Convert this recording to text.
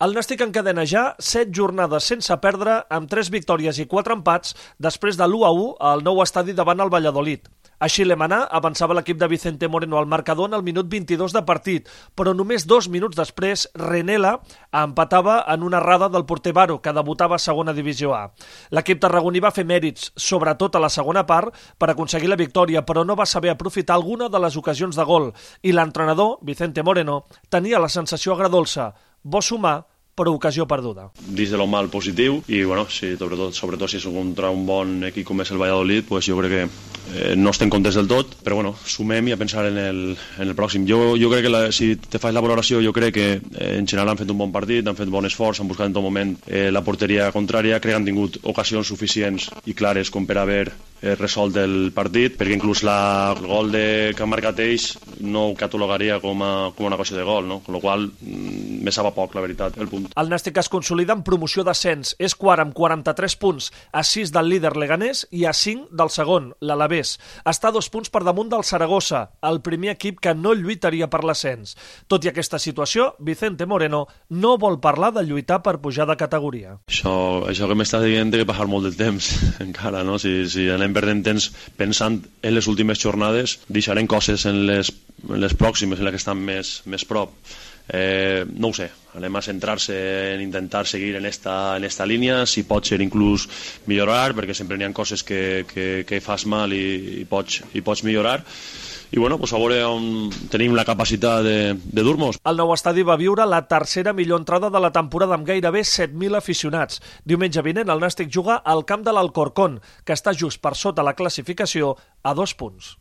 El Nàstic encadena ja 7 jornades sense perdre, amb 3 victòries i 4 empats, després de l'1-1 al nou estadi davant el Valladolid. Així l'Emaná avançava l'equip de Vicente Moreno al marcador en el minut 22 de partit, però només 2 minuts després Renela empatava en una errada del porter Baro, que debutava a segona divisió A. L'equip tarragoní va fer mèrits, sobretot a la segona part, per aconseguir la victòria, però no va saber aprofitar alguna de les ocasions de gol, i l'entrenador, Vicente Moreno, tenia la sensació agredolça: bo sumar, però ocasió perduda. Dins de lo mal positiu, i bueno, sí, sobretot si és contra un bon equip com és el Valladolid, pues jo crec que no estem contents del tot, però bueno, sumem i a pensar en el pròxim. Jo crec que si te fas la valoració, jo crec que en general han fet un bon partit, han fet bon esforç, han buscat en tot moment la porteria contrària, crec que han tingut ocasions suficients i clares com per haver resolt el partit, perquè inclús el gol que han marcat ells no ho catalogaria com una cosa de gol, no? Con lo qual me sap a poc, la veritat, el punt. El Nàstic es consolida en promoció d'ascens, és quart amb 43 punts, a 6 del líder Leganés i a 5 del segon, l'Alavés. Està a 2 punts per damunt del Saragossa, el primer equip que no lluitaria per l'ascens. Tot i aquesta situació, Vicente Moreno no vol parlar de lluitar per pujar de categoria. Això que m'estàs dient té que passar molt de temps encara, no? Si anem perdent temps pensant en les últimes jornades, deixarem coses en les pròximes, en les que estan més prop. No ho sé, anem a centrar-se en intentar seguir en esta línia, si pot ser inclús millorar, perquè sempre n'hi ha coses que fas mal i pots millorar. I bueno, pues a veure on tenim la capacitat de dur-nos. El nou estadi va viure la tercera millor entrada de la temporada amb gairebé 7.000 aficionats. Diumenge vinent el Nàstic juga al camp de l'Alcorcón, que està just per sota la classificació a 2 punts.